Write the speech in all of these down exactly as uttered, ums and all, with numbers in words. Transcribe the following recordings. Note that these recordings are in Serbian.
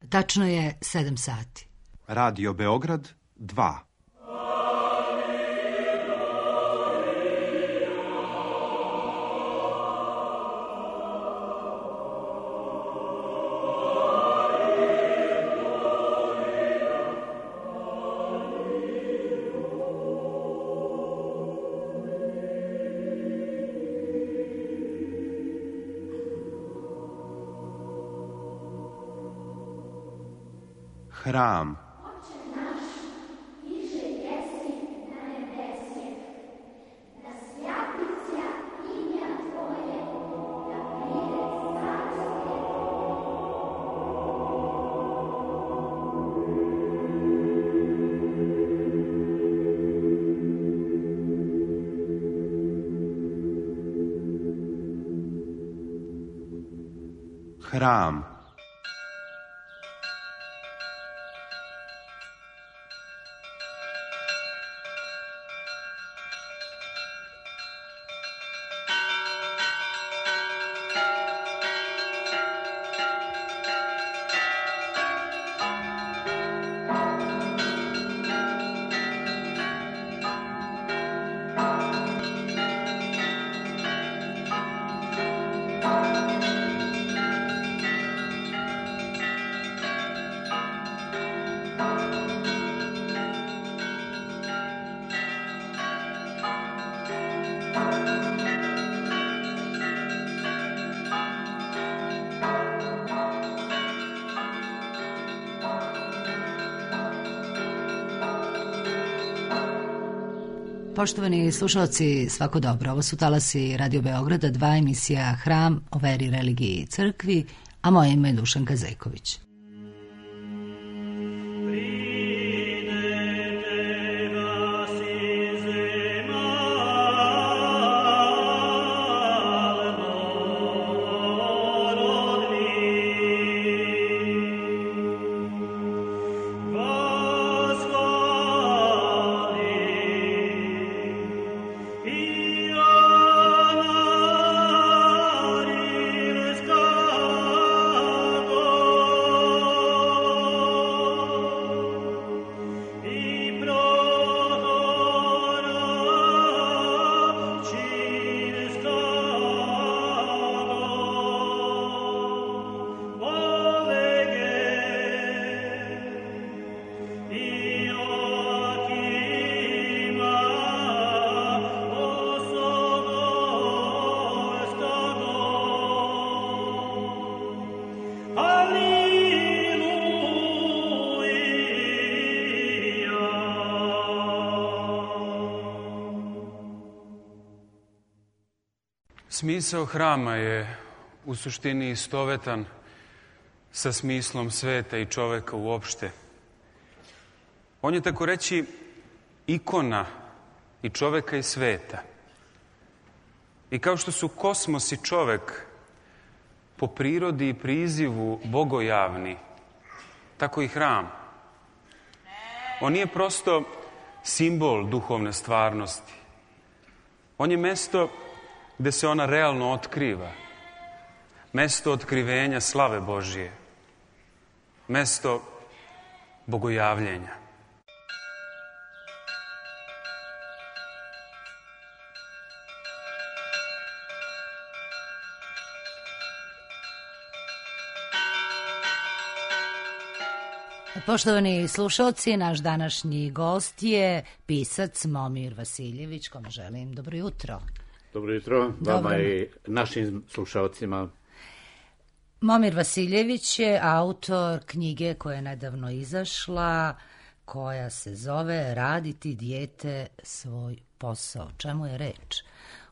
Tačno je sedam sati. Radio Beograd dva. Hram. Hram. Poštovani slušalci, svako dobro. Ovo su talasi Radio Beograda, dva, emisija Hram o veri, religiji i crkvi, a moje ime je Dušanka Zejković. Smisao hrama je u suštini istovetan sa smislom sveta i čoveka uopšte. On je, tako reći, ikona i čoveka i sveta. I kao što su kosmos i čovek po prirodi i prizivu bogojavni, tako i hram. On nije prosto simbol duhovne stvarnosti. On je mesto gde se ona realno otkriva. Mesto otkrivenja slave Božije. Mesto bogojavljenja. Poštovani slušalci, naš današnji gost je pisac Momir Vasiljević, kome želim dobro jutro. Dobro jutro, vama i našim slušalcima. Momir Vasiljević je autor knjige koja je nedavno izašla, koja se zove Raditi dijete svoj posao. Čemu je reč?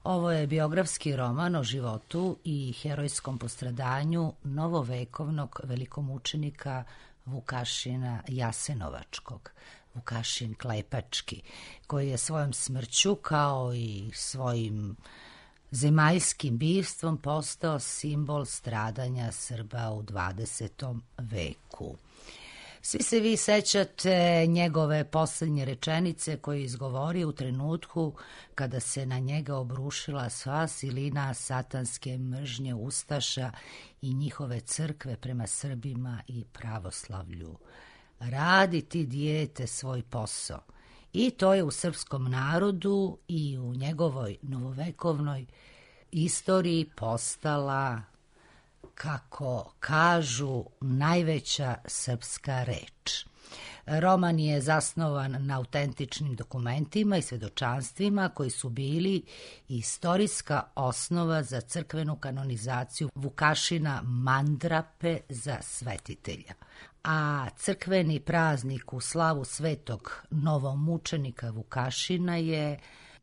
Ovo je biografski roman o životu i herojskom postradanju novovekovnog velikomučenika Vukašina Jasenovačkog, Vukašin Klepački, koji je svojom smrću kao i svojim zemaljskim bivstvom postao simbol stradanja Srba u dvadesetom veku. Svi se vi sećate njegove posljednje rečenice koje je izgovorio u trenutku kada se na njega obrušila sva silina satanske mržnje ustaša i njihove crkve prema Srbima i pravoslavlju. Radi ti, dijete, svoj posao. I to je u srpskom narodu i u njegovoj novovekovnoj istoriji postala, kako kažu, najveća srpska reč. Roman je zasnovan na autentičnim dokumentima i svedočanstvima koji su bili istorijska osnova za crkvenu kanonizaciju Vukašina Mandrape za svetitelja. A crkveni praznik u slavu svetog novomučenika Vukašina je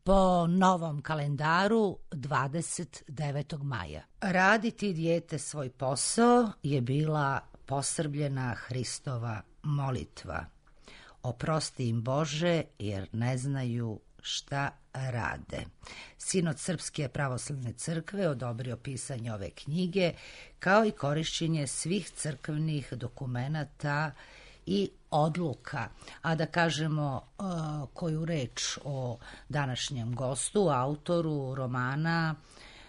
po novom kalendaru dvadeset devetog maja. Raditi, dijete, svoj posao je bila posrbljena Hristova molitva. Oprosti im, Bože, jer ne znaju šta rade. Sinod Srpske pravoslavne crkve odobrio pisanje ove knjige, kao i korišćenje svih crkvenih dokumenata i odluka. A da kažemo uh, koju reč o današnjem gostu, autoru romana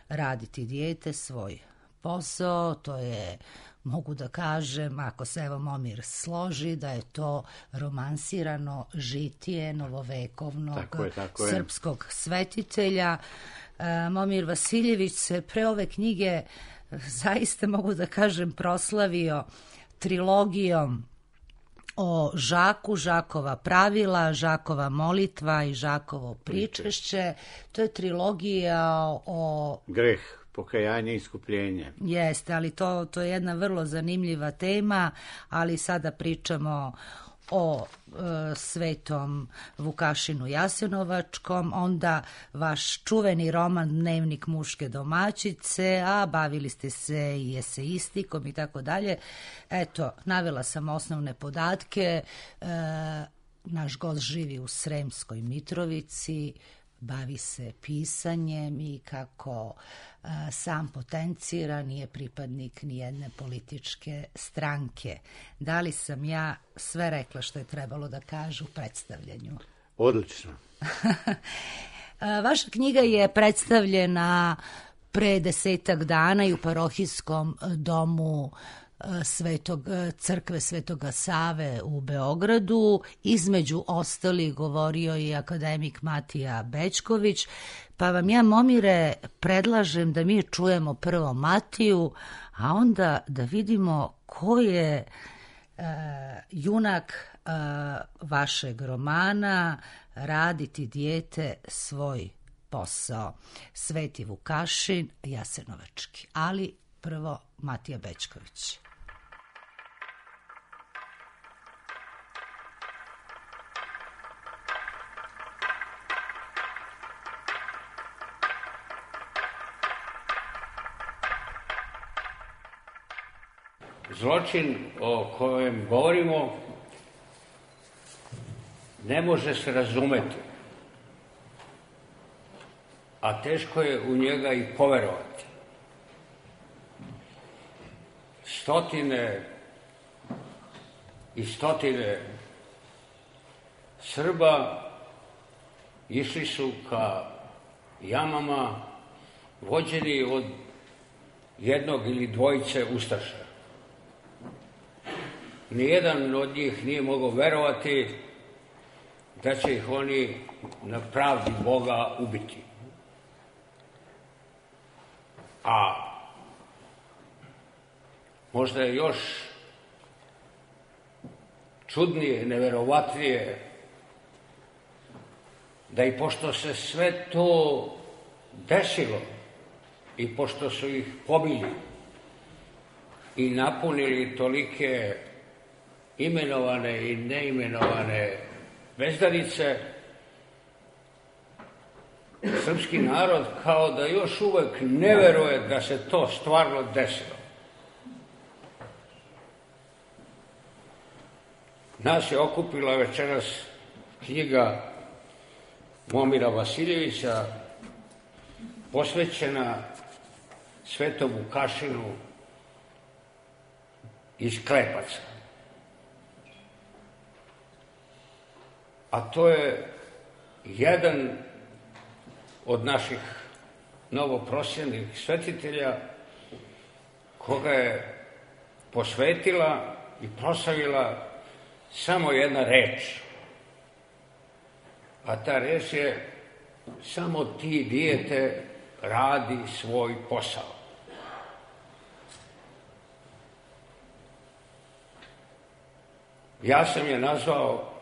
Raditi, dijete, svoj posao, to je, mogu da kažem, ako se evo Momir složi, da je to romansirano žitije novovekovnog tako je, tako srpskog svetitelja. Uh, Momir Vasiljević se pre ove knjige zaista, mogu da kažem, proslavio trilogijom o Žaku, Žakova pravila, Žakova molitva i Žakovo pričešće. To je trilogija o... greh, pokajanje i iskupljenje. Jeste, ali to, to je jedna vrlo zanimljiva tema, ali sada pričamo o e, svetom Vukašinu Jasenovačkom, onda vaš čuveni roman Dnevnik muške domaćice, a bavili ste se i eseistikom i tako dalje. Eto, navela sam osnovne podatke. E, naš gost živi u Sremskoj Mitrovici, bavi se pisanjem i kako a, sam potencira, nije pripadnik nijedne političke stranke. Da li sam ja sve rekla što je trebalo da kažu u predstavljanju? Odlično. Vaša knjiga je predstavljena pre desetak dana i u parohijskom domu Svetog, crkve Svetoga Save u Beogradu. Između ostalih govorio je akademik Matija Bećković, pa vam ja, Momire, predlažem da mi čujemo prvo Matiju, a onda da vidimo ko je uh, junak uh, vašeg romana Raditi, dijete, svoj posao. Sveti Vukašin Jasenovački. Ali prvo Matija Bećković. Zločin o kojem govorimo ne može se razumeti, a teško je u njega i poverovati. Stotine i stotine Srba išli su ka jamama vođeni od jednog ili dvojice ustaša. Nijedan od njih nije mogao verovati da će ih oni na pravdi Boga ubiti. A možda je još čudnije, neverovatnije, da i pošto se sve to desilo i pošto su ih pobili i napunili tolike imenovane i neimenovane bezdanice, srpski narod kao da još uvek ne veruje da se to stvarno desilo. Nas je okupila večeras knjiga Momira Vasiljevića posvećena Svetom Vukašinu iz Klepaca. a to je jedan od naših novoprosjenih svetitelja koga je posvetila i proslavila samo jedna reč. A ta reč je: samo ti, dijete, radi svoj posao. Ja sam je nazvao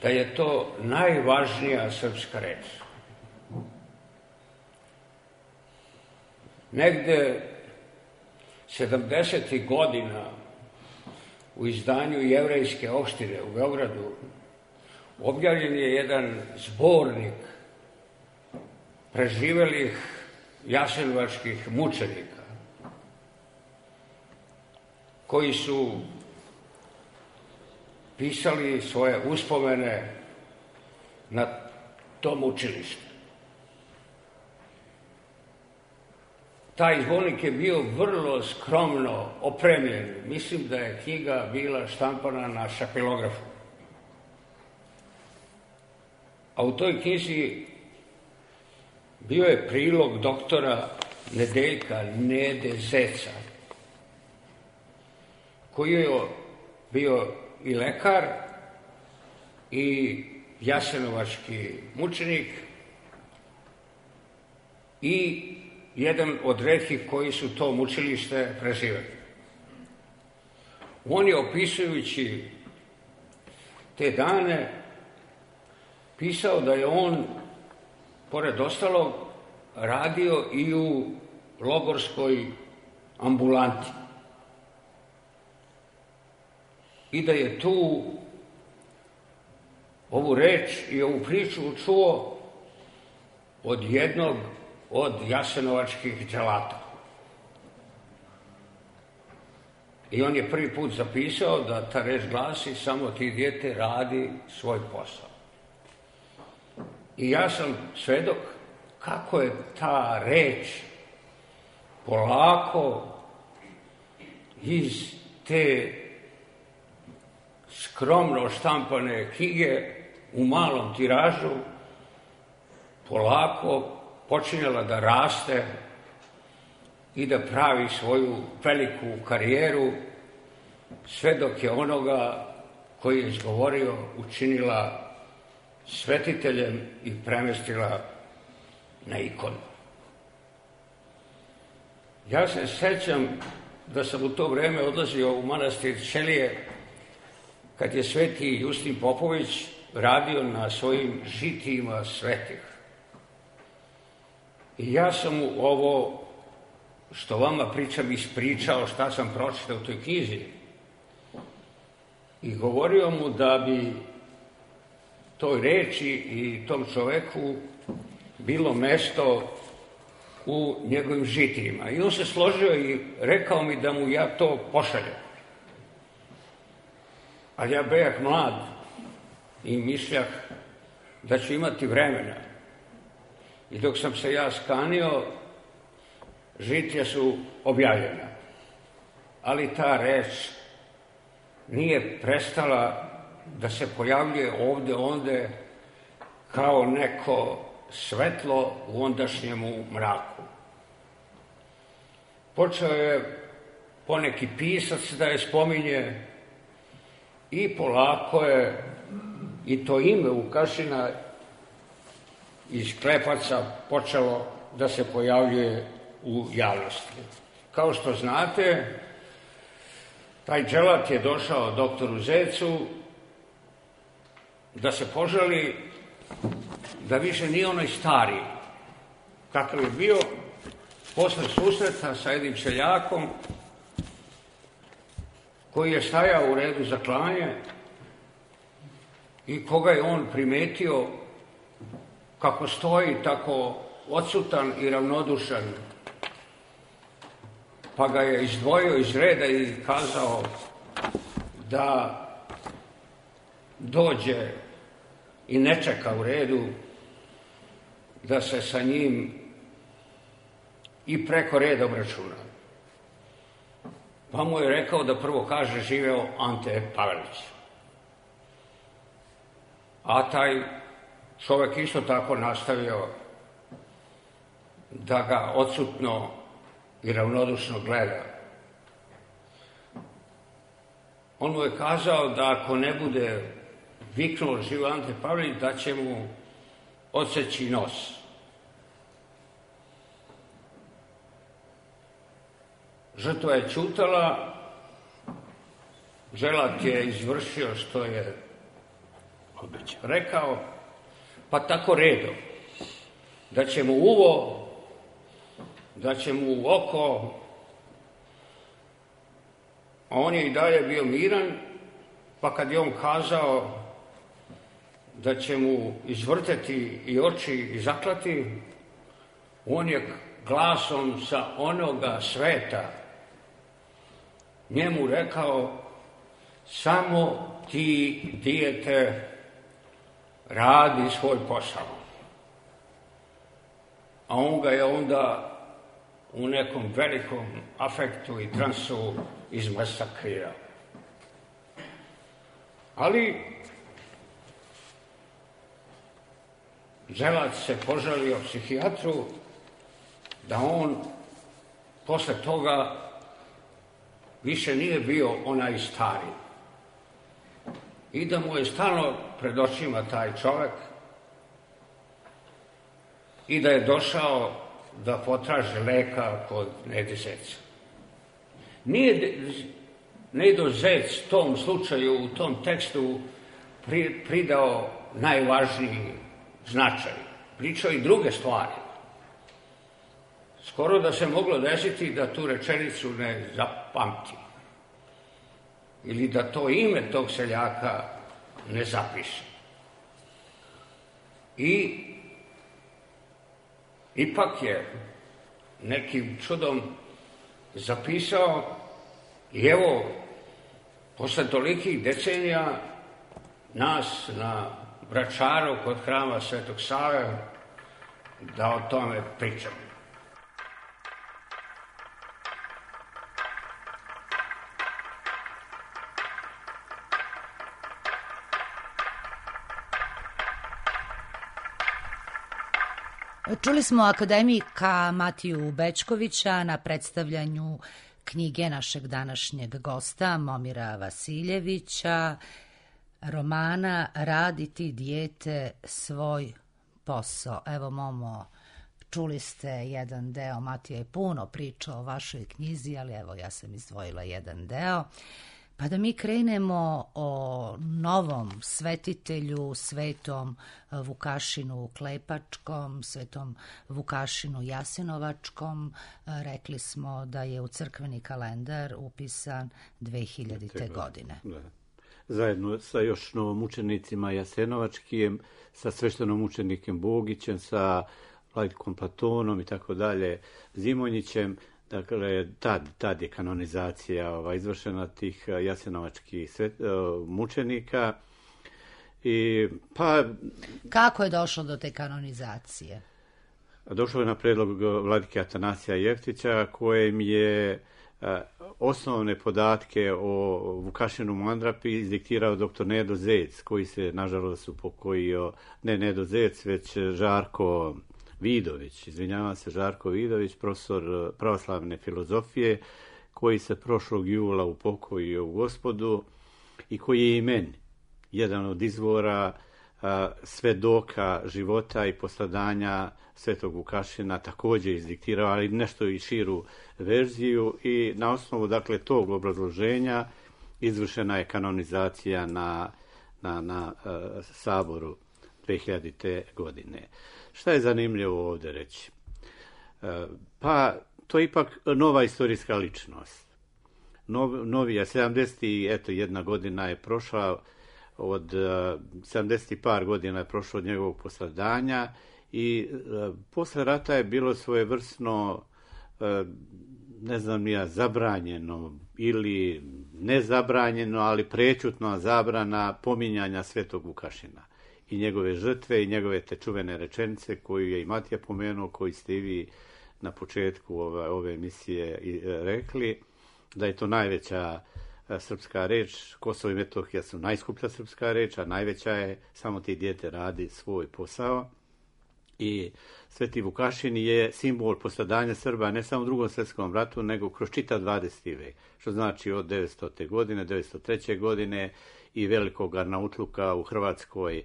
da je to najvažnija srpska reč. Negde sedamdesetih godina u izdanju Jevrejske opštine u Beogradu objavljen je jedan zbornik preživelih jasenovačkih mučenika koji su pisali svoje uspomene na tom učilištu. Taj zbornik je bio vrlo skromno opremljen. Mislim da je knjiga bila štampana na šapilografu. A u toj knjizi bio je prilog doktora Nedeljka Nede Zeca, koji je bio i lekar i jasenovački mučenik i jedan od retkih koji su to mučilište preživeli. On je, opisujući te dane, pisao da je on, pored ostalog, radio i u logorskoj ambulanti. I da je tu ovu reč i ovu priču čuo od jednog od jasenovačkih dželata. I on je prvi put zapisao da ta reč glasi: samo ti, dijete, radi svoj posao. I ja sam svedok kako je ta reč polako iz te skromno štampane knjige u malom tiražu polako počinjala da raste i da pravi svoju veliku karijeru, sve dok je onoga koji je izgovorio učinila svetiteljem i premestila na ikonu. Ja se sećam da sam u to vreme odlazio u manastir Ćelije kad je sveti Justin Popović radio na svojim žitijima svetih. I ja sam mu ovo što vama pričam ispričao šta sam pročitao u toj knjizi i govorio mu da bi toj reči i tom čoveku bilo mesto u njegovim žitijima. I on se složio i rekao mi da mu ja to pošaljem. Ali ja bejak mlad i mišljah da ću imati vremena. I dok sam se ja skanio, žitija su objavljena. Ali ta reč nije prestala da se pojavljuje ovde, onde, kao neko svetlo u ondašnjemu mraku. Počeo je poneki pisac da je spominje i polako je i to ime Vukašina iz Klepaca počelo da se pojavljuje u javnosti. Kao što znate, taj dželat je došao doktoru Zecu da se požali da više nije onaj stari kakav je bio posle susreta sa jednim seljakom koji je stajao u redu za klanje i koga je on primetio kako stoji tako odsutan i ravnodušan, pa ga je izdvojio iz reda i kazao da dođe i ne čeka u redu, da se sa njim i preko reda obračuna. Pa mu je rekao da prvo kaže živeo Ante Pavelić. a taj čovjek isto tako nastavio da ga odsutno i ravnodušno gleda. On mu je kazao da ako ne bude viknuo živo Ante Pavelić, da će mu odseći nos. Žrtva je ćutala, Želat je izvršio što je rekao, pa tako redom, da će mu uvo, da će mu u oko, a on je i dalje bio miran, pa kad je on kazao da će mu izvrteti i oči i zaklati, on je glasom sa onoga sveta njemu rekao: samo ti, dijete, radi svoj posao. A on ga je onda u nekom velikom afektu i transu izmasakrirao. Ali Želat se požalio psihijatru da on posle toga više nije bio onaj stari. I da mu je stalno pred očima taj čovjek i da je došao da potraži leka kod Nede Zeca. Nije Nedo Zec tom slučaju, u tom tekstu pri, pridao najvažniji značaj. Pričao i druge stvari. Skoro da se moglo desiti da tu rečenicu ne zapamti. Ili da to ime tog seljaka ne zapiše. I ipak je nekim čudom zapisao i evo, posle tolikih decenija nas na Vračaru kod hrama Svetog Save da o tome pričamo. Čuli smo akademika Matiju Bećkovića na predstavljanju knjige našeg današnjeg gosta Momira Vasiljevića, romana Raditi dijete svoj posao. Evo, Momo, čuli ste jedan deo, Matija je puno pričao o vašoj knjizi, ali evo, ja sam izdvojila jedan deo. Pa da mi krenemo o novom svetitelju, svetom Vukašinu Klepačkom, svetom Vukašinu Jasenovačkom. Rekli smo da je u crkveni kalendar upisan dve hiljadite. godine. Da. Zajedno sa još novomučenicima Jasenovačkim, sa sveštenomučenikom Bogićem, sa vladikom Platonom i tako dalje, Zimonjićem. Dakle, tad, tad je kanonizacija ova, izvršena tih jasenovačkih svet, mučenika. I, pa, kako je došlo do te kanonizacije? Došlo je na predlog vladike Atanasija Jeftića, kojem je a, osnovne podatke o Vukašinu Mandrapi izdiktirao doktor Nedo Zec, koji se, nažalost, upokojio, ne Nedo Zec, već Žarko Vidović, izvinjavam se, Žarko Vidović, profesor pravoslavne filozofije, koji se prošlog jula upokojio u Gospodu i koji je i meni jedan od izvora a, svedoka života i postradanja svetog Vukašina također izdiktirao, ali nešto i širu verziju, i na osnovu, dakle, tog obrazloženja izvršena je kanonizacija na, na, na a, saboru dve hiljadite. godine. Šta je zanimljivo ovdje reći? Pa, to je ipak nova istorijska ličnost. Nov, novija, sedamdeset jedna godina je prošla od, sedamdeset par godina je prošlo od njegovog postradanja i posle rata je bilo svojevrsno, ne znam ja, zabranjeno ili nezabranjeno, ali prečutna zabrana pominjanja svetog Vukašina i njegove žrtve i njegove te čuvene rečenice koju je i Matija pomenuo, koji ste i vi na početku ove, ove emisije rekli, da je to najveća srpska reč. Kosovo i Metohija su najskuplja srpska reč, a najveća je, samo ti dijete radi svoj posao. I Sveti Vukašin je simbol postradanja Srba ne samo u Drugom svjetskom ratu, nego kroz čitav dvadeseti vek, što znači od devetstote. godine, devetsto treće. godine i velikog arnautluka u Hrvatskoj,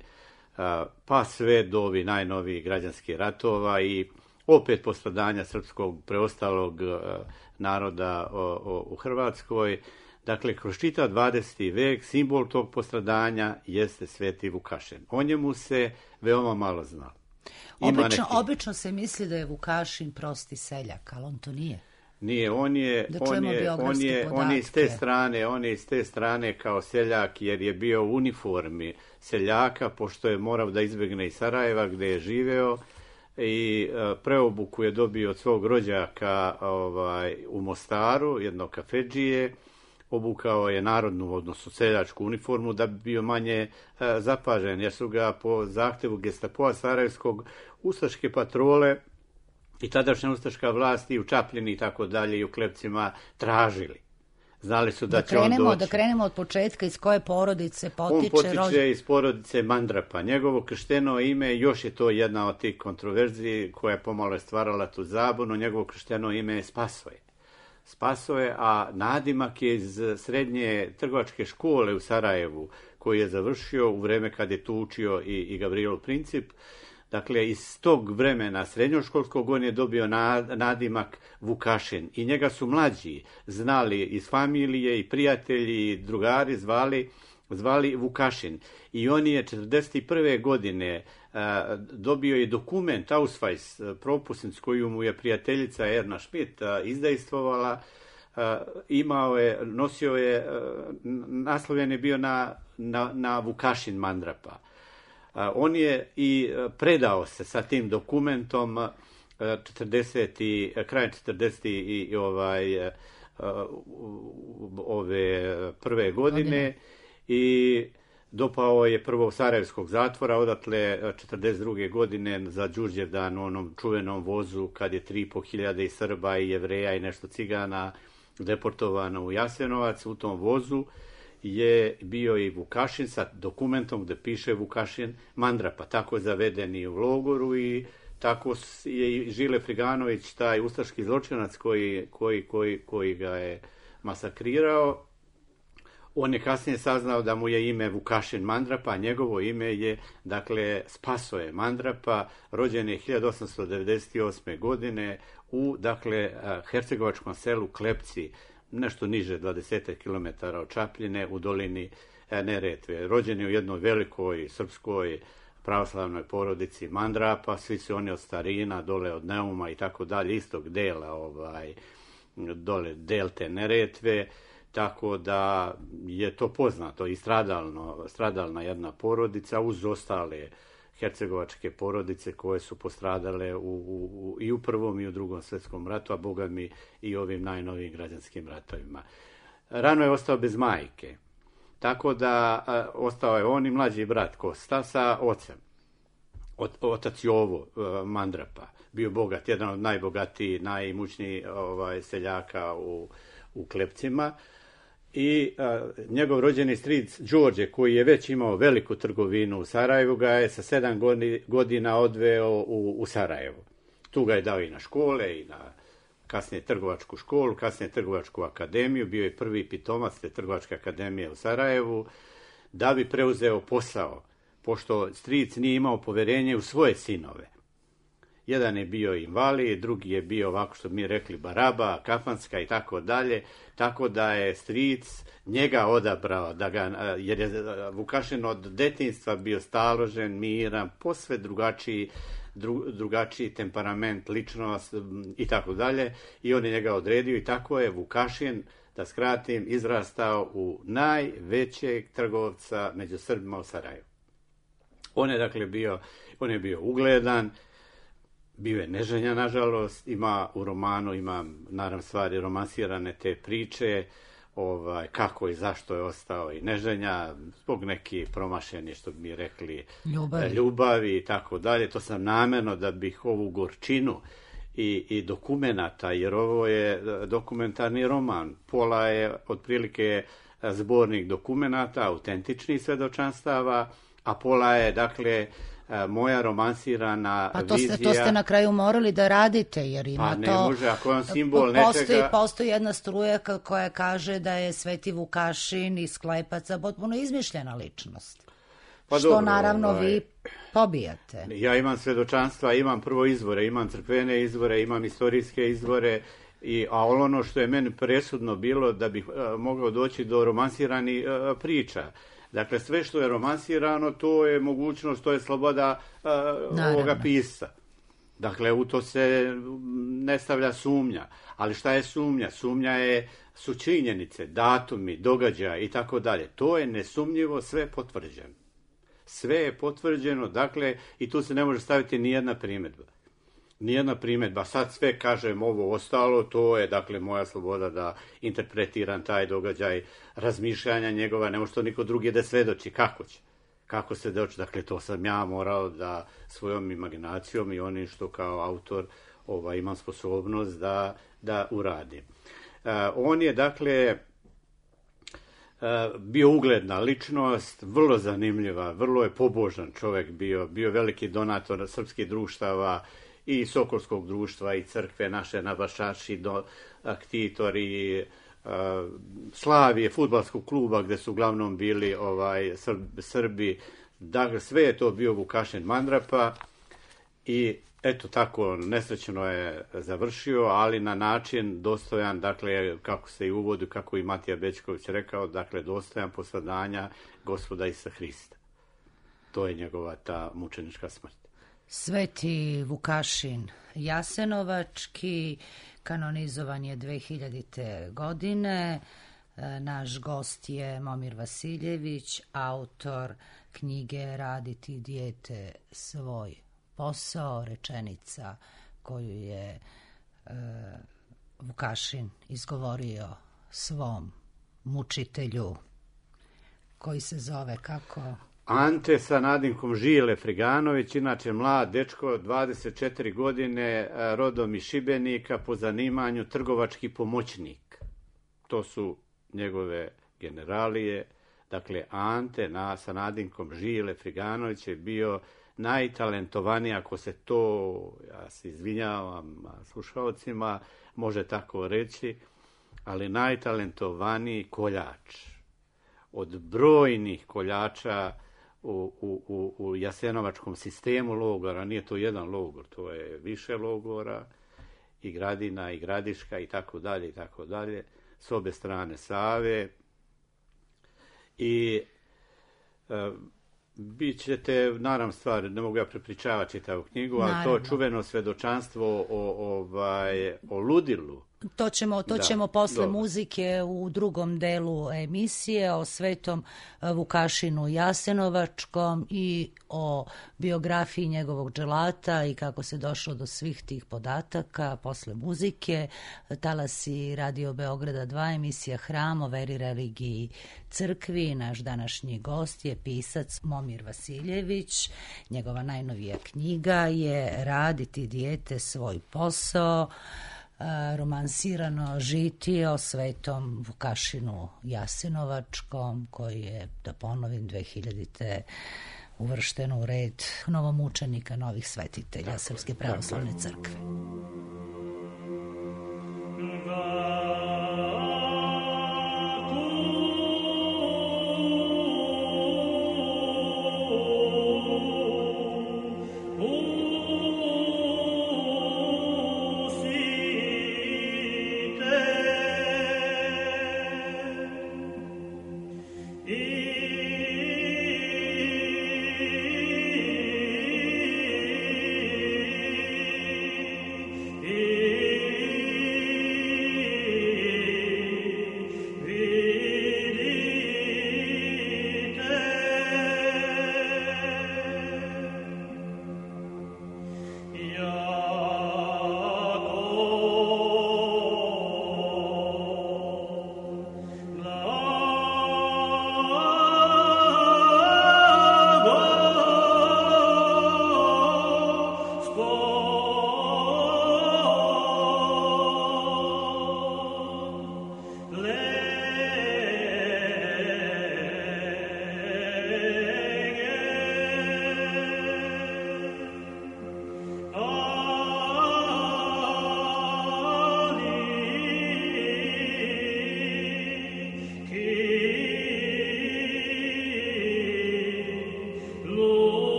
pa sve do ovih najnovijih građanskih ratova i opet postradanja srpskog preostalog naroda u Hrvatskoj. Dakle, kroz čitav dvadeseti vek simbol tog postradanja jeste Sveti Vukašin. O njemu se veoma malo zna. Obično, neki... obično se misli da je Vukašin prosti seljak, ali on to nije. Nije, on je, da on je, on je, on je iz te strane, on je iz te strane kao seljak, jer je bio u uniformi seljaka, pošto je morao da izbjegne iz Sarajeva gdje je živeo i uh, preobuku je dobio od svog rođaka ovaj, u Mostaru, jednog kafedžije. Obukao je narodnu, odnosno seljačku uniformu da bi bio manje uh, zapažen, jer su ga po zahtjevu Gestapoa Sarajevskog ustaške patrole i tadašnja ustaška vlast i u Čapljini i tako dalje i u Klepcima tražili. Znali su da, da će krenemo, on doći. Da krenemo od početka, iz koje porodice potiče? On potiče rođ... iz porodice Mandrapa. Njegovo kršteno ime, još je to jedna od tih kontroverziji koja je pomalo je stvarala tu zabunu, njegovo kršteno ime je Spasoje. Spasoje, a nadimak je iz srednje trgovačke škole u Sarajevu, koji je završio u vreme kad je tu učio i, i Gavrilo Princip. Dakle, iz tog vremena srednjoškolskog on je dobio nadimak Vukašin i njega su mlađi znali iz familije i prijatelji i drugari zvali, zvali Vukašin. I on je četrdeset prve. godine a, dobio je dokument, Ausweis, propusnicu koju mu je prijateljica Erna Schmidt a, izdejstvovala. A, imao je, nosio je, a, naslovljen je bio na, na, na Vukašin Mandrapa. On je i predao se sa tim dokumentom četrdeset krajem četrdeset i ovaj ove prve godine i dopao je prvo Sarajevskog zatvora, odatle četrdeset druge. godine za Đurđevdan, onom čuvenom vozu kad je tri i po hiljade Srba i Jevreja i nešto Cigana deportovano u Jasenovac. U tom vozu je bio i Vukašin sa dokumentom gdje piše Vukašin Mandrapa, tako zavedeni u logoru i tako je i Žile Friganović, taj ustaški zločinac koji, koji, koji, koji ga je masakrirao. On je kasnije saznao da mu je ime Vukašin Mandrapa, a njegovo ime je, dakle, Spasoje Mandrapa, rođen je hiljadu osamsto devedeset osme. godine u, dakle, hercegovačkom selu Klepci, nešto niže dvadeset kilometara od Čapljine u dolini Neretve. Rođen je u jednoj velikoj srpskoj pravoslavnoj porodici Mandrapa, svi su oni od starina, dole od Neuma i tako dalje, istog dela, ovaj, dole delte Neretve, tako da je to poznato i stradalno, stradalna jedna porodica uz ostale hercegovačke porodice koje su postradale u, u, i u prvom i u drugom svjetskom ratu, a boga mi i ovim najnovijim građanskim ratovima. Rano je ostao bez majke, tako da a, ostao je on i mlađi brat Kosta sa ocem. Ot, otac Jovo a, Mandrapa, bio bogat, jedan od najbogatijih, najimućnijih ovaj, seljaka u, u Klepcima. I a, njegov rođeni stric Đorđe, koji je već imao veliku trgovinu u Sarajevu, ga je sa sedam godina odveo u, u Sarajevo. Tu ga je dao i na škole, i na kasnije trgovačku školu, kasnije trgovačku akademiju, bio je prvi pitomac te trgovačke akademije u Sarajevu, da bi preuzeo posao, pošto stric nije imao poverenje u svoje sinove. Jedan je bio invalid, drugi je bio ovako što mi rekli baraba, kafanska i tako dalje, tako da je stric njega odabrao, da ga, jer je Vukašin od detinjstva bio staložen, miran, posve drugačiji, dru, drugačiji temperament, ličnost i tako dalje, i on je njega odredio i tako je Vukašin, da skratim, izrastao u najvećeg trgovca među Srbima u Sarajevu. On je dakle bio, on je bio ugledan, bio je neženja, nažalost, ima u romanu, ima naravno stvari romansirane te priče, ovaj, kako i zašto je ostao i neženja, zbog neki promašeni, što bi mi rekli, ljubavi, ljubavi i tako dalje. To sam namjerno da bih ovu gorčinu i, i dokumenata, jer ovo je dokumentarni roman, pola je otprilike zbornik dokumenata, autentičnih svedočanstava, a pola je, dakle, moja romansirana pa to vizija. Ste, to ste na kraju morali da radite, jer ima pa ne to... može, ako je on simbol postoji, nečega... Postoji jedna struja koja kaže da je Sveti Vukašin iz Klepaca potpuno izmišljena ličnost. Pa što dobro, naravno ovaj, vi pobijate. Ja imam svedočanstva, imam prvo izvore, imam crkvene izvore, imam istorijske izvore, i, a ono što je meni presudno bilo da bih uh, mogao doći do romansiranih uh, priča. Dakle, sve što je romansirano, to je mogućnost, to je sloboda uh, ovoga pisca. Dakle, u to se ne stavlja sumnja. Ali šta je sumnja? Sumnja je, su činjenice, datumi, događaja i tako dalje. To je nesumnjivo sve potvrđeno. Sve je potvrđeno, dakle, i tu se ne može staviti ni jedna primjedba. Nijedna primjedba, sad sve kažem ovo ostalo, to je, dakle, moja sloboda da interpretiram taj događaj, razmišljanja njegova, ne može to niko drugi da svedoči, kako će, kako se doći, dakle, to sam ja morao da svojom imaginacijom i onim što kao autor ovaj, imam sposobnost da, da uradim. Uh, on je, dakle, uh, bio ugledna ličnost, vrlo zanimljiva, vrlo je pobožan čovjek bio, bio veliki donator srpskih društava, i Sokolskog društva, i crkve naše, nabašači, do, aktitori, uh, Slavije, fudbalskog kluba, gde su uglavnom bili ovaj, Srbi, Srbi. Dakle, sve je to bio Vukašin Mandrapa i eto tako, nesrećno je završio, ali na način dostojan, dakle, kako se i uvodi, kako i Matija Bećković rekao, dakle, dostojan posvadanja Gospoda Isusa Hrista. To je njegova ta mučenička smrt. Sveti Vukašin Jasenovački kanonizovan je dve hiljadite. godine. Naš gost je Momir Vasiljević, autor knjige Raditi dijete svoj posao, rečenica koju je e, Vukašin izgovorio svom mučitelju, koji se zove kako... Ante sa nadimkom Žile Friganović, inače mlad dečko, dvadeset četiri godine, rodom iz Šibenika, po zanimanju trgovački pomoćnik. To su njegove generalije. Dakle, Ante na, sa nadimkom Žile Friganović je bio najtalentovaniji, ako se to, ja se izvinjavam slušalcima, može tako reći, ali najtalentovaniji koljač. Od brojnih koljača U, u, u jasenovačkom sistemu logora, nije to jedan logor, to je više logora, i Gradina, i Gradiška, i tako dalje, i tako dalje, s obe strane Save. I e, bit ćete, naravno stvar, ne mogu ja prepričavati čitavu knjigu, ali naravno, to čuveno svedočanstvo o, ovaj, o ludilu. To ćemo, to ćemo posle dobro. Muzike u drugom delu emisije o Svetom Vukašinu Jasenovačkom i o biografiji njegovog dželata i kako se došlo do svih tih podataka posle muzike. Talasi Radio Beograda dva, emisija Hram o veri, religiji, crkvi. Naš današnji gost je pisac Momir Vasiljević. Njegova najnovija knjiga je Raditi dijete svoj posao, romansirano žitije o Svetom Vukašinu Jasenovačkom, koji je, da ponovim, dve hiljadite. uvršteno u red novomučenika, novih svetitelja tako, Srpske pravoslavne crkve.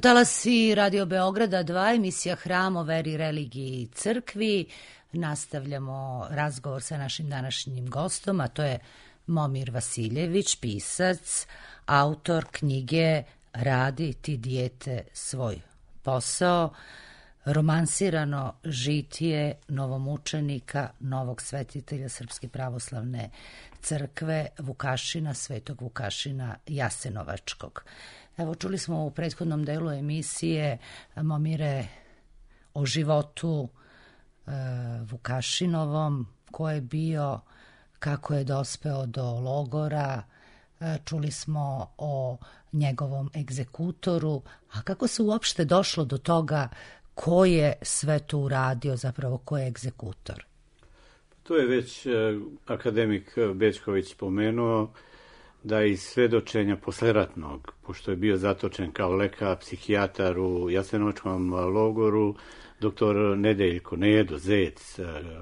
Talasi Radio Beograda dva, emisija Hram o veri, religiji i crkvi. Nastavljamo razgovor sa našim današnjim gostom, a to je Momir Vasiljević, pisac, autor knjige Radi ti dijete svoj posao, romansirano žitije novomučenika, novog svetitelja Srpske pravoslavne crkve, Vukašina, svetog Vukašina Jasenovačkog. Evo, čuli smo u prethodnom delu emisije, Momire, o životu e, Vukašinovom, ko je bio, kako je dospeo do logora, e, čuli smo o njegovom egzekutoru, a kako se uopšte došlo do toga ko je sve to uradio, zapravo ko je egzekutor? To je već e, akademik Bećković pomenuo, da iz svedočenja posleratnog, pošto je bio zatočen kao lekar, psihijatar u Jasenovačkom logoru, doktor Nedeljko Nedo Zec,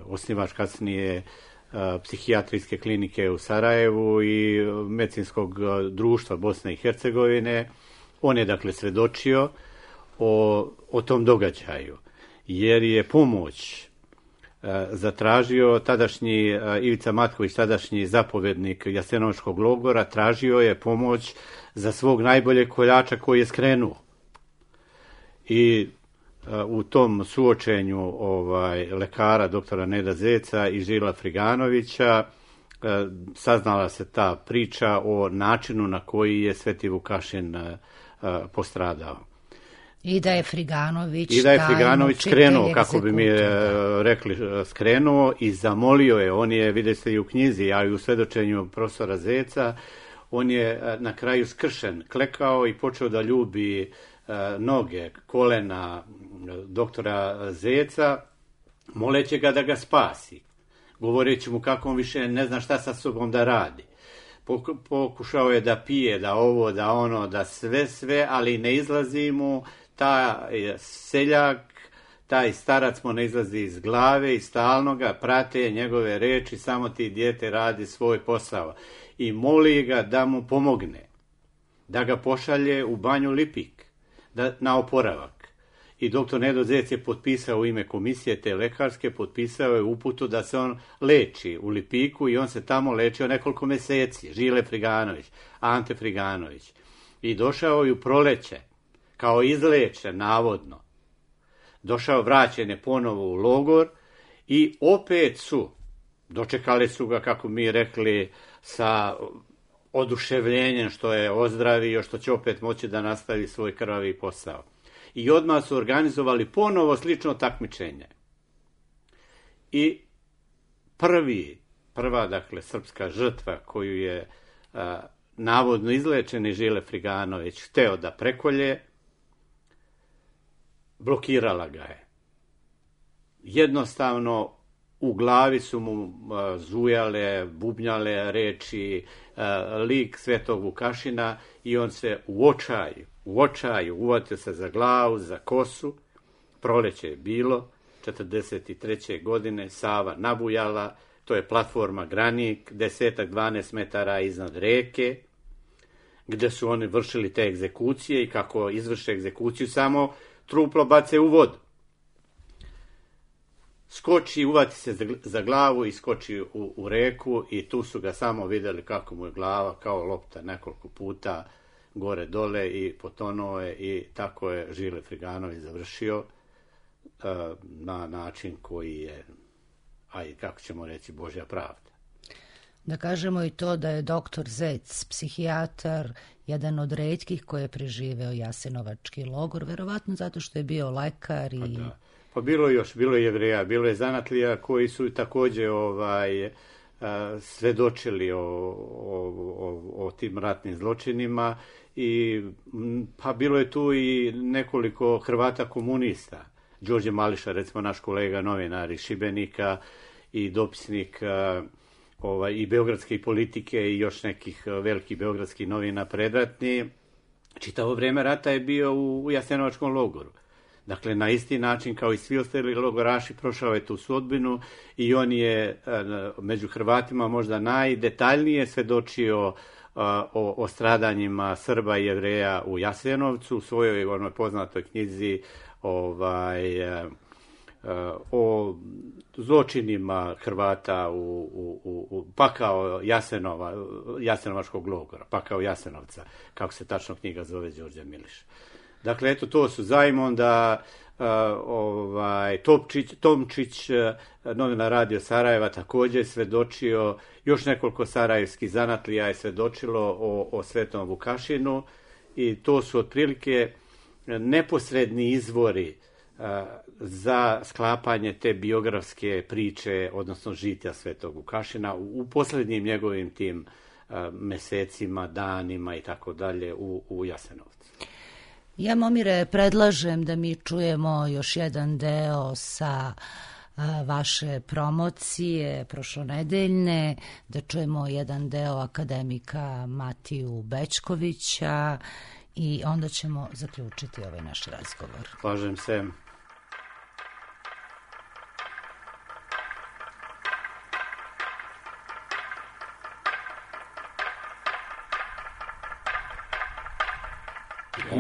osnivač kasnije psihijatrijske klinike u Sarajevu i medicinskog društva Bosne i Hercegovine, on je dakle svedočio o, o tom događaju, jer je pomoć zatražio tadašnji Ivica Matković, tadašnji zapovednik Jasenovačkog logora, tražio je pomoć za svog najboljeg koljača koji je skrenuo. I u tom suočenju ovaj, lekara doktora Neda Zeca i Žila Friganovića saznala se ta priča o načinu na koji je Sveti Vukašin postradao. I da je Friganović, I da je Friganović skrenuo, kako bi mi rekli, skrenuo i zamolio je, on je, vidite i u knjizi, a i u svedočenju profesora Zeca, on je na kraju skršen, klekao i počeo da ljubi noge, kolena doktora Zeca, moleći ga da ga spasi, govoreći mu kako on više ne zna šta sa sobom da radi. Pokušao je da pije, da ovo, da ono, da sve, sve, ali ne izlazi mu. Taj seljak, taj starac mu ne izlazi iz glave i stalno ga prate njegove reči, samo ti dijete radi svoj posao. I moli ga da mu pomogne, da ga pošalje u banju Lipik, da, na oporavak. I doktor Nedo Zec je potpisao u ime komisije te lekarske, potpisao je uputu da se on leči u Lipiku i on se tamo lečio nekoliko meseci. Žile Friganović, Ante Friganović. I došao je u proleće, kao izlečen, navodno. Došao, vraćen je ponovo u logor i opet su, dočekali su ga, kako mi rekli, sa oduševljenjem što je ozdravio, što će opet moći da nastavi svoj krvavi posao. I odmah su organizovali ponovo slično takmičenje. I prvi, prva, dakle, srpska žrtva koju je a, navodno izlečeni Žile Friganović hteo da prekolje, blokirala ga je. Jednostavno u glavi su mu a, zujale, bubnjale reči, a, lik Svetog Vukašina i on se u očaju, u očaju uvatio se za glavu, za kosu. Proleće je bilo, četrdeset treće godine, Sava nabujala, to je platforma Granik, desetak, dvanaest metara iznad reke, gde su oni vršili te egzekucije i kako izvrše egzekuciju, samo truplo bace u vodu. Skoči, uvati se za, za glavu i skoči u, u reku i tu su ga samo vidjeli kako mu je glava kao lopta nekoliko puta gore dole i potonuo je i tako je Žile Friganović završio uh, na način koji je, a i kako ćemo reći, Božja pravda. Da kažemo i to da je doktor Zec, psihijatar, jedan od retkih koji je preživeo Jasenovački logor, verovatno zato što je bio lekar i... Pa, da. Pa bilo je još, bilo je Jevreja, bilo je zanatlija koji su također ovaj, svedočili o, o, o, o tim ratnim zločinima i pa bilo je tu i nekoliko Hrvata komunista. Đorđe Mališa, recimo naš kolega novinar iz Šibenika i dopisnik ovaj, i beogradske politike i još nekih velikih beogradskih novina predratni. Čitavo vrijeme rata je bio u, u Jasenovačkom logoru. Dakle, na isti način kao i svi ostali logoraši prošao je tu sudbinu i on je među Hrvatima možda najdetaljnije svedočio o, o stradanjima Srba i Jevreja u Jasenovcu, u svojoj onoj poznatoj knjizi ovaj, o zločinima Hrvata u, u, u pakao Jasenova, Jasenovačkog logora, pakao Jasenovca, kako se tačno knjiga zove Đorđe Miliša. Dakle, eto, to su Zajmonda, uh, ovaj, Topčić, Tomčić, novinar Radio Sarajeva, također je svedočio, još nekoliko sarajevskih zanatlija je svedočilo o, o Svetom Vukašinu i to su otprilike neposredni izvori uh, za sklapanje te biografske priče, odnosno žitja Svetog Vukašina u, u posljednjim njegovim tim uh, mesecima, danima i tako dalje u, u Jasenovcu. Ja, Momire, predlažem da mi čujemo još jedan deo sa a, vaše promocije prošlonedeljne, da čujemo jedan deo akademika Matiju Bećkovića i onda ćemo zaključiti ovaj naš razgovor. Slažem se.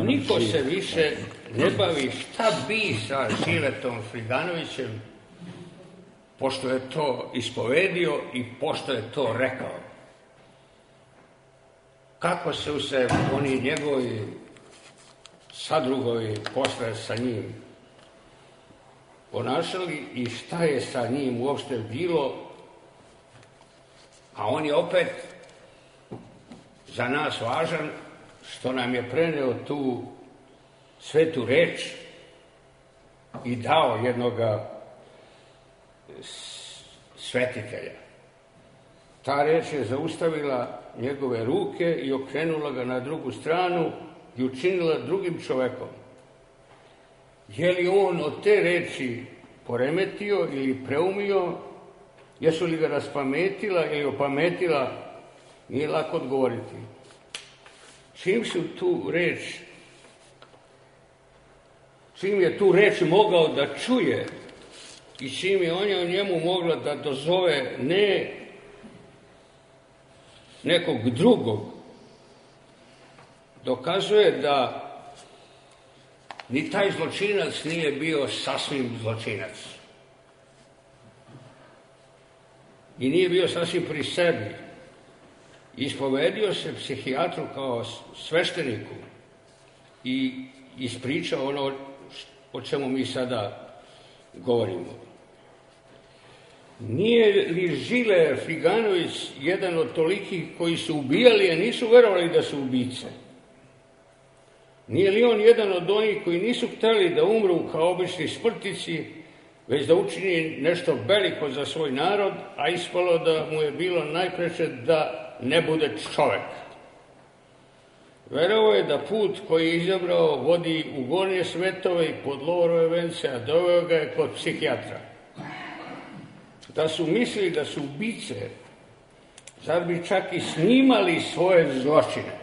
Niko se više ne bavi šta bi sa Žiletom Friganovićem, pošto je to ispovedio i pošto je to rekao. Kako su se oni njegovi sadrugovi posle sa njim ponašali i šta je sa njim uopšte bilo, a on je opet za nas važan što nam je preneo tu svetu reč i dao jednoga svetitelja. Ta reč je zaustavila njegove ruke i okrenula ga na drugu stranu i učinila drugim čovekom. Je li on od te reči poremetio ili preumio, jesu li ga raspametila ili opametila, nije lako odgovoriti. Čim su tu reč, čim je tu reč mogao da čuje i čim je on njemu mogla da dozove ne nekog drugog, dokazuje da ni taj zločinac nije bio sasvim zločinac. I nije bio sasvim pri sebi. Ispovedio se psihijatru kao svešteniku i ispričao ono o čemu mi sada govorimo. Nije li Žile Friganović jedan od tolikih koji su ubijali, a nisu verovali da su ubice? Nije li on jedan od onih koji nisu hteli da umru kao obični smrtnici, već da učini nešto veliko za svoj narod, a ispalo da mu je bilo najpreče da ne bude čovek? Verovao je da put koji je izabrao vodi u gornje svetove i pod lovorove vence, a doveo ga je kod psihijatra. Da su mislili da su ubice, zar bi čak i snimali svoje zločine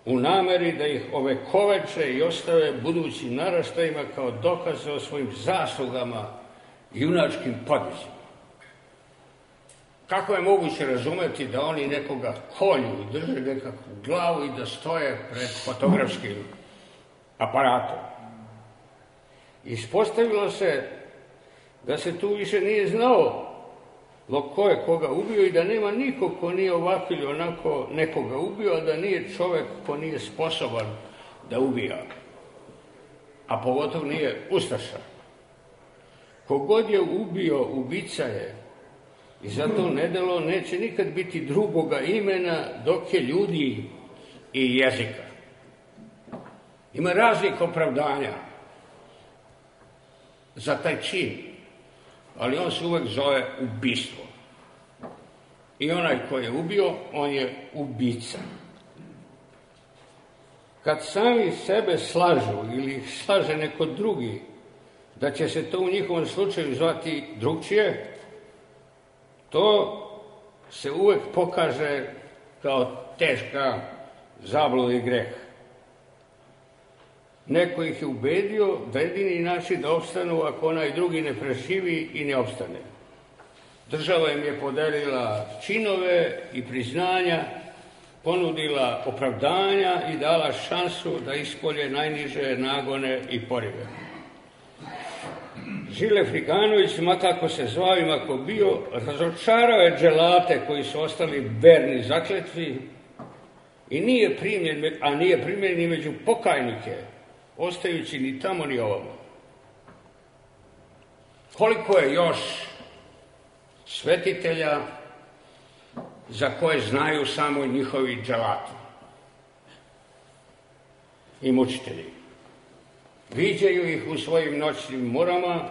u nameri da ih ovekoveče i ostave budućim naraštajima kao dokaze o svojim zaslugama i junačkim podvizima. Kako je moguće razumeti da oni nekoga kolju, drže nekakvu glavu i da stoje pred fotografskim aparatom? Ispostavilo se da se tu više nije znao ko je koga ubio i da nema niko ko nije ovako ili onako nekoga ubio, a da nije čovek ko nije sposoban da ubija. A pogotovo nije ustaša. Kogod je ubio, ubica je. I zato nedelo neće nikad biti drugoga imena dok je ljudi i jezika. Ima raznih opravdanja za taj čin, ali on se uvek zove ubistvo. I onaj ko je ubio, on je ubica. Kad sami sebe slažu ili ih slaže neko drugi, da će se to u njihovom slučaju zvati drugčije, to se uvek pokaže kao teška zabluda i greh. Neko ih je ubedio da jedini način da opstanu ako onaj drugi ne preživi i ne opstane. Država im je podelila činove i priznanja, ponudila opravdanja i dala šansu da ispolje najniže nagone i porive. Žile Friganović, makako se zvao i mako bio, razočarao je dželate koji su ostali verni zakletvi i nije primljen, a nije primljen ni među pokajnike, ostajući ni tamo ni ovamo. Koliko je još svetitelja za koje znaju samo njihovi dželati i mučitelji. Viđaju ih u svojim noćnim morama,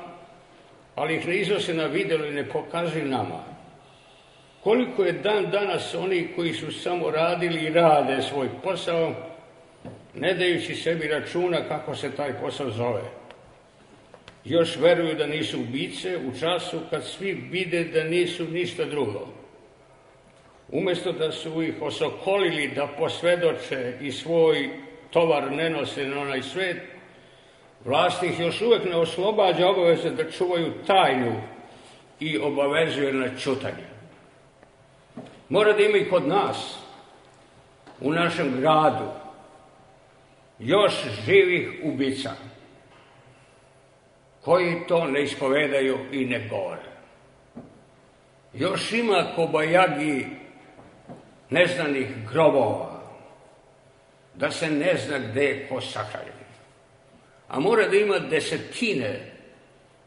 ali ih ne iznose na video i ne pokazuju nama. Koliko je dan danas oni koji su samo radili i rade svoj posao, ne dajući sebi računa kako se taj posao zove. Još veruju da nisu ubice u času kad svi vide da nisu ništa drugo. Umjesto da su ih osokolili da posvedoče i svoj tovar ne nose na onaj svet, vlast ih još uvijek ne oslobađa obaveze da čuvaju tajnu i obavezuje na ćutanje. Mora da ima i kod nas, u našem gradu, još živih ubica, koji to ne ispovedaju i ne govore. Još ima kobajagi neznanih grobova, da se ne zna gde je ko sahranjen. A mora da ima desetine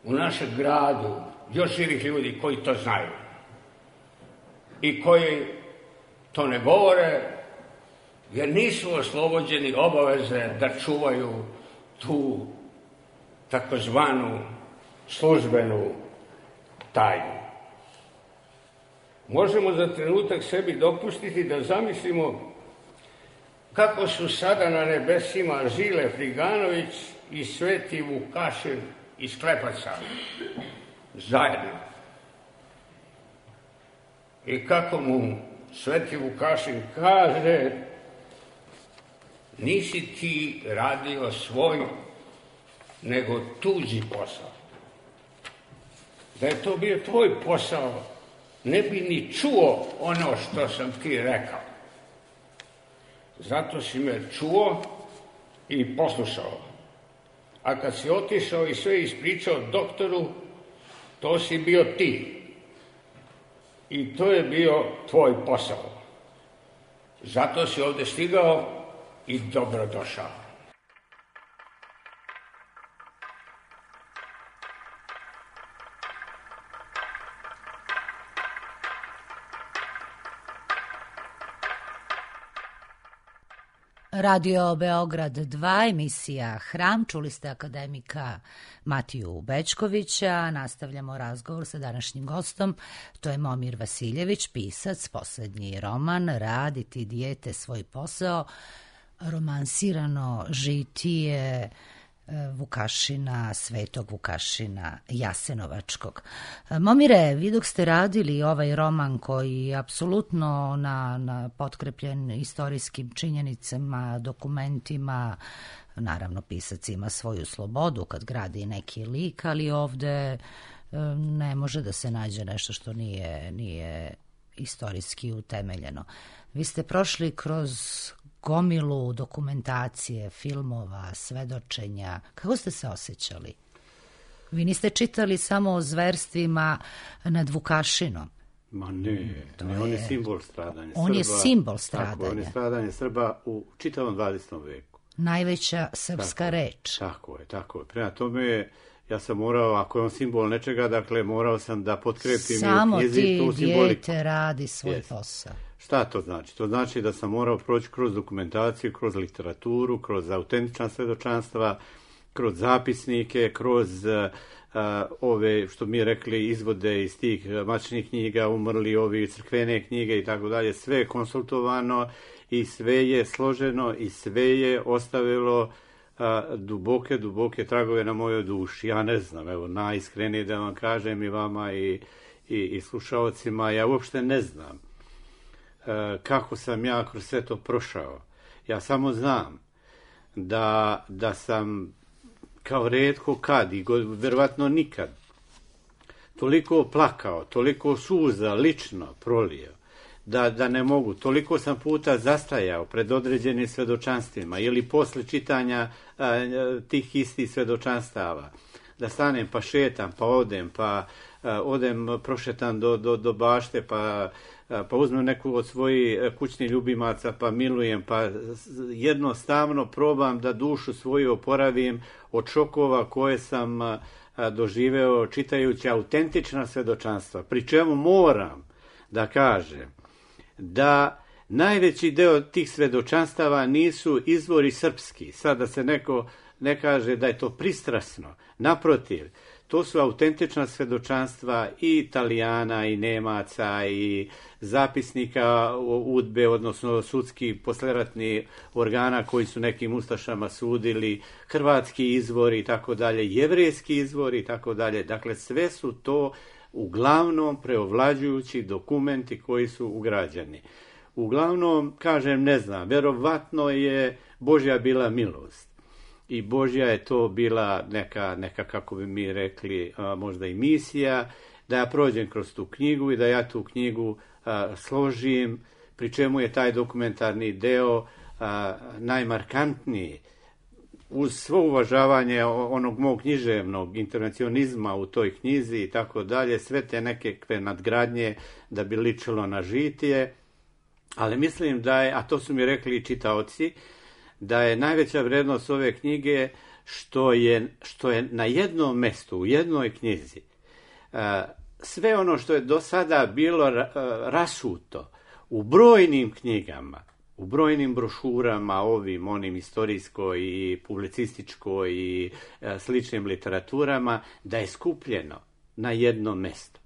u našem gradu još živih ljudi koji to znaju i koji to ne govore, jer nisu oslobođeni obaveze da čuvaju tu takozvanu službenu tajnu. Možemo za trenutak sebi dopustiti da zamislimo kako su sada na nebesima Žile Friganović i Sveti Vukašin iz Klepaca zajedno. I kako mu Sveti Vukašin kaže: nisi ti radio svoj, nego tuđi posao. Da je to bio tvoj posao, ne bi ni čuo ono što sam ti rekao. Zato si me čuo i poslušao. A kad si otišao i sve ispričao doktoru, to si bio ti. I to je bio tvoj posao. Zato si ovdje stigao i dobro došao. Radio Beograd dva, emisija Hram. Čuli ste akademika Matiju Bećkovića. Nastavljamo razgovor sa današnjim gostom. To je Momir Vasiljević, pisac, poslednji roman Raditi dijete svoj posao, romansirano žitije Vukašina, Svetog Vukašina Jasenovačkog. Momire, vi dok ste radili ovaj roman koji je apsolutno na, na potkrepljen istorijskim činjenicama, dokumentima, naravno pisac ima svoju slobodu kad gradi neki lik, ali ovde ne može da se nađe nešto što nije, nije istorijski utemeljeno. Vi ste prošli kroz gomilu dokumentacije, filmova, svedočenja. Kako ste se osjećali? Vi niste čitali samo o zverstvima nad Vukašinom. Ma ne, ne, on je simbol stradanja on Srba. je simbol stradanja. Tako, on je stradanje Srba u čitavom dvadesetom veku. Najveća srpska tako, reč. Tako je, tako je. Prema tome, ja sam morao, ako je on simbol nečega, dakle, morao sam da potkrepim samo i u knjizi tu simboliku. Samo ti dijete radi svoj yes. posao. Šta to znači? To znači da sam morao proći kroz dokumentaciju, kroz literaturu, kroz autentična svedočanstva, kroz zapisnike, kroz uh, ove, što mi rekli, izvode iz tih matičnih knjiga, umrli ovi crkvene knjige i tako dalje. Sve je konsultovano i sve je složeno i sve je ostavilo uh, duboke, duboke tragove na mojoj duši. Ja ne znam, evo, najiskrenije da vam kažem i vama i, i, i slušalcima, ja uopšte ne znam kako sam ja kroz sve to prošao. Ja samo znam da, da sam kao retko kad i verovatno nikad toliko plakao, toliko suza lično prolio, da, da ne mogu. Toliko sam puta zastajao pred određenim svedočanstvima ili posle čitanja a, tih istih svedočanstava. Da stanem pa šetam, pa odem, pa a, odem prošetam do, do, do bašte, pa, a, pa uzmem neku od svojih kućnih ljubimaca, pa milujem, pa jednostavno probam da dušu svoju oporavim od šokova koje sam a, a, doživeo čitajući autentična svedočanstva. Pri čemu moram da kažem da najveći deo tih svedočanstava nisu izvori srpski. Sada se neko ne kaže da je to pristrasno. Naprotiv, to su autentična svedočanstva i Italijana, i Nemaca, i zapisnika udbe, odnosno sudski posleratni organa koji su nekim ustašama sudili, hrvatski izvori i tako dalje, jevrejski izvori i tako dalje. Dakle, sve su to uglavnom preovlađujući dokumenti koji su ugrađeni. Uglavnom, kažem, ne znam, verovatno je Božja bila milost i Božja je to bila neka, neka kako bi mi rekli, a, možda i misija, da ja prođem kroz tu knjigu i da ja tu knjigu a, složim, pri čemu je taj dokumentarni deo a, najmarkantniji. Uz svo uvažavanje onog mog književnog intervencionizma u toj knjizi i tako dalje, sve te neke nadgradnje da bi ličilo na žitije, ali mislim da je, a to su mi rekli i čitaoci, da je najveća vrednost ove knjige što je, što je na jednom mestu, u jednoj knjizi, sve ono što je do sada bilo rasuto u brojnim knjigama, u brojnim brošurama, ovim, onim istorijskoj i publicističkoj i e, sličnim literaturama, da je skupljeno na jednom mestu.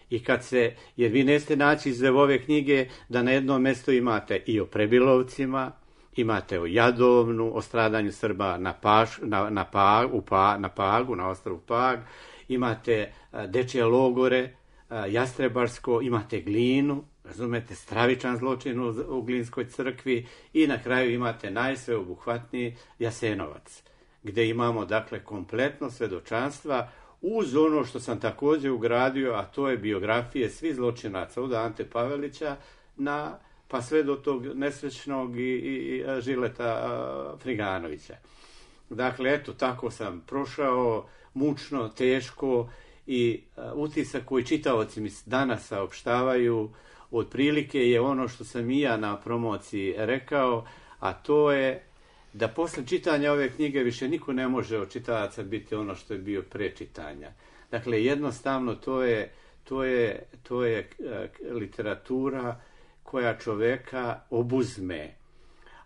I kad se, jer vi neste naći iz ove knjige da na jednom mestu imate i o Prebilovcima, imate o Jadovnu, o stradanju Srba na, Paš, na, na, Pag, u pa, na Pagu, na ostrvu Pag, imate a, dečje logore, a, Jastrebarsko, imate Glinu, razumete, stravičan zločin u, u Glinskoj crkvi i na kraju imate najsveobuhvatniji Jasenovac, gdje imamo dakle kompletno svedočanstva uz ono što sam također ugradio, a to je biografije svih zločinaca od Ante Pavelića na, pa sve do tog nesrećnog i, i, i Žileta a, Friganovića. Dakle, eto, tako sam prošao mučno, teško i a, utisak koji čitaoci mi danas saopštavaju otprilike je ono što sam i ja na promociji rekao, a to je da posle čitanja ove knjige više niko ne može od čitalaca biti ono što je bio pre čitanja. Dakle, jednostavno to je, to je, to je literatura koja čoveka obuzme,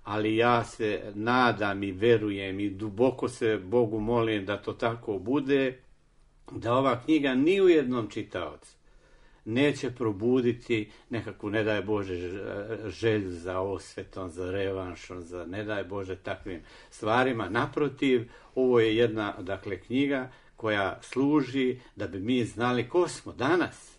ali ja se nadam i verujem i duboko se Bogu molim da to tako bude, da ova knjiga ni u jednom čitaocu neće probuditi nekakvu, ne daj Bože, želju za osvetom, za revanšom, za ne daj Bože takvim stvarima. Naprotiv, ovo je jedna, dakle, knjiga koja služi da bi mi znali ko smo danas.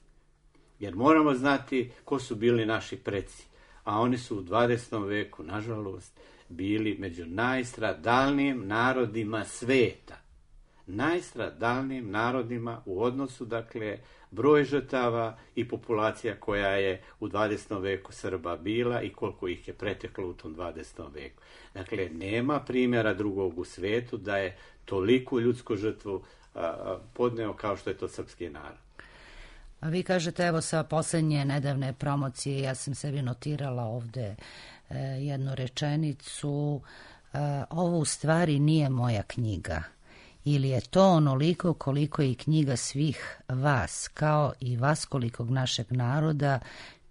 Jer moramo znati ko su bili naši preci. A oni su u dvadesetom veku, nažalost, bili među najstradalnijim narodima sveta. Najstradalnijim narodima u odnosu, dakle, broj žrtava i populacija koja je u dvadesetom veku Srba bila i koliko ih je preteklo u tom dvadesetom veku. Dakle, nema primjera drugog u svetu da je toliku ljudsku žrtvu a, podneo kao što je to srpski narod. A vi kažete, evo sa posljednje nedavne promocije, ja sam sebi notirala ovde e, jednu rečenicu, e, ovo u stvari nije moja knjiga. Ili je to onoliko koliko je i knjiga svih vas, kao i vaskolikog našeg naroda,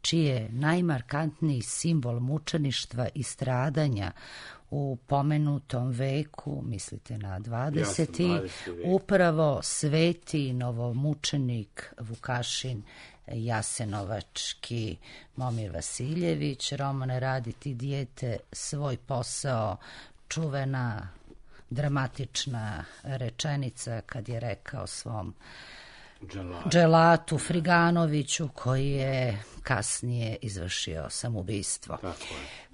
čiji je najmarkantniji simbol mučeništva i stradanja u pomenutom veku, mislite na dvadeseti, upravo sveti novomučenik Vukašin Jasenovački Momir Vasiljević. Romane, radi ti dijete svoj posao, čuvena dramatična rečenica kad je rekao svom Dželatu. Dželatu Friganoviću, koji je kasnije izvršio samoubistvo. Tako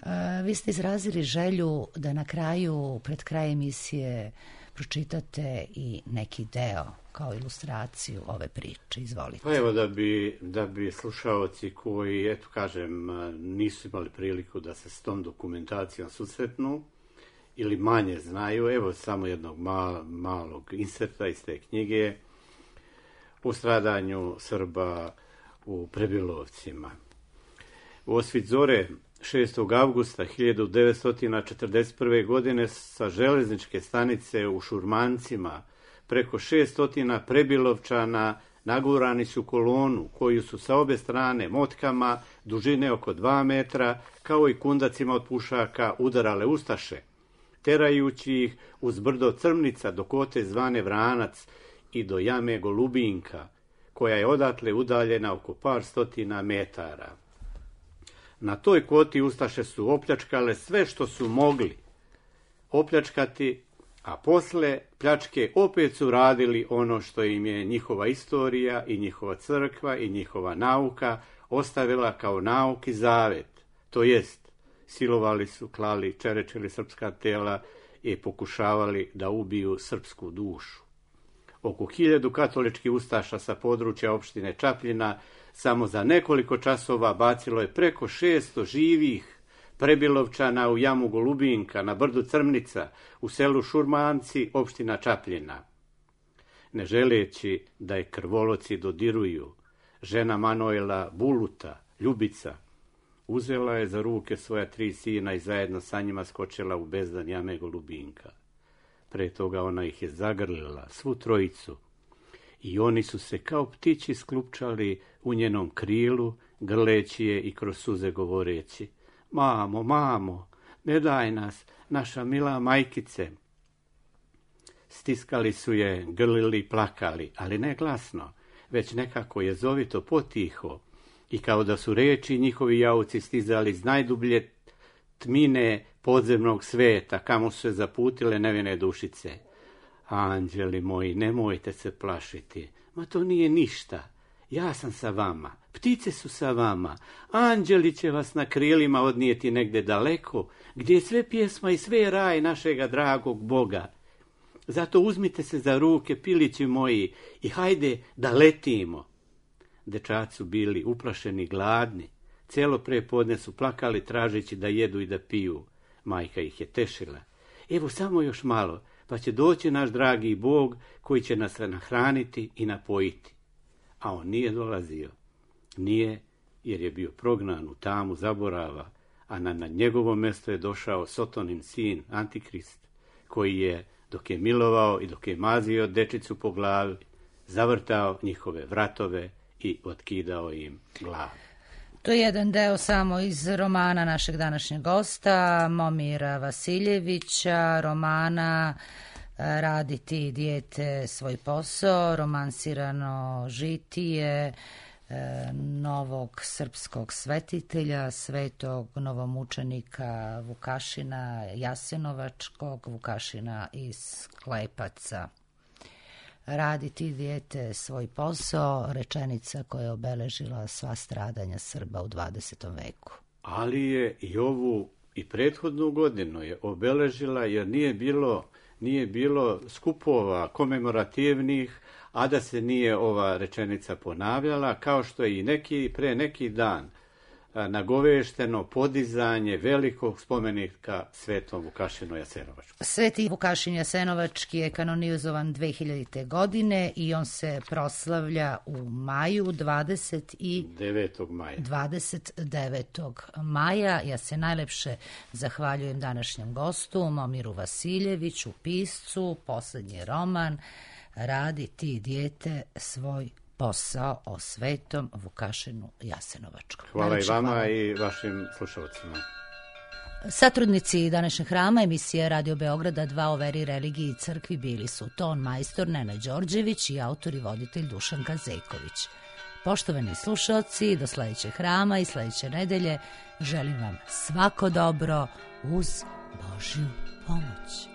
je. Vi ste izrazili želju da na kraju, pred kraj emisije, pročitate i neki deo kao ilustraciju ove priče. Izvolite. Pa evo da bi, da bi slušaoci koji, eto kažem, nisu imali priliku da se s tom dokumentacijom susretnu ili manje znaju, evo samo jednog mal, malog inserta iz te knjige o stradanju Srba u Prebilovcima. U osvit zore šestog avgusta hiljadu devetsto četrdeset prve. godine sa železničke stanice u Šurmancima preko šesto Prebilovčana nagurani su kolonu koju su sa obe strane motkama dužine oko dva metra kao i kundacima od pušaka udarale ustaše, terajući ih uz brdo Crmnica do kote zvane Vranac i do jame Golubinka, koja je odatle udaljena oko par stotina metara. Na toj koti ustaše su opljačkale sve što su mogli opljačkati, a posle pljačke opet su radili ono što im je njihova istorija i njihova crkva i njihova nauka ostavila kao nauk i zavet. To jest, silovali su, klali, čerečili srpska tela i pokušavali da ubiju srpsku dušu. Oko hiljadu katoličkih ustaša sa područja opštine Čapljina samo za nekoliko časova bacilo je preko šesto živih Prebilovčana u jamu Golubinka, na brdu Crmnica, u selu Šurmanci, opština Čapljina. Ne želeći da je krvoloci dodiruju, žena Manojla Buluta, Ljubica, uzela je za ruke svoja tri sina i zajedno sa njima skočila u bezdan jame Golubinka. Pre toga ona ih je zagrlila, svu trojicu, i oni su se kao ptići sklupčali u njenom krilu, grleći je i kroz suze govoreći: mamo, mamo, ne daj nas, naša mila majkice. Stiskali su je, grlili i plakali, ali ne glasno, već nekako jezovito, potiho, i kao da su reči njihovi jauci stizali iz najdublje tmine podzemnog sveta, kamo su se zaputile nevine dušice. Anđeli moji, nemojte se plašiti, ma to nije ništa, ja sam sa vama, ptice su sa vama, anđeli će vas na krilima odnijeti negde daleko, gdje je sve pjesma i sve raj našega dragog Boga. Zato uzmite se za ruke, pilići moji, i hajde da letimo. Dečaci su bili uplašeni, gladni, cijelo prepodne su plakali tražeći da jedu i da piju. Majka ih je tešila: evo samo još malo, pa će doći naš dragi Bog koji će nas nahraniti i napojiti. A on nije dolazio. Nije, jer je bio prognan u tamu zaborava, a na, na njegovo mjesto je došao Sotonin sin, Antikrist, koji je, dok je milovao i dok je mazio dečicu po glavi, zavrtao njihove vratove i otkidao im glavu. To je jedan deo samo iz romana našeg današnjeg gosta, Momira Vasiljevića, romana Radi ti dijete svoj posao, romansirano žitije novog srpskog svetitelja, svetog novomučenika Vukašina Jasenovačkog, Vukašina iz Klepaca. Radi ti dijete svoj posao, rečenica koja je obeležila sva stradanja Srba u dvadesetom veku. Ali je i ovu i prethodnu godinu je obeležila, jer nije bilo, nije bilo skupova komemorativnih, a da se nije ova rečenica ponavljala, kao što je i neki, pre neki dan nagovešteno podizanje velikog spomenika Svetom Vukašinu Jasenovačkom. Sveti Vukašin Jasenovački je kanonizovan dve hiljadite. godine i on se proslavlja u maju, dvadeset devetog maja. dvadeset devetog maja. Ja se najlepše zahvaljujem današnjem gostu, Momiru Vasiljeviću, piscu, poslednji roman Radi ti dijete svoj posao, o Svetom Vukašinu Jasenovačkom. Hvala najlepše i vama hvala. I vašim slušalcima. Satrudnici današnjeg hrama emisije Radio Beograda dva o veri, religiji i crkvi bili su ton majstor Nenad Đorđević i autor i voditelj Dušan Kazejković. Poštovani slušalci, do sledećeg hrama i sledeće nedelje želim vam svako dobro uz Božju pomoć.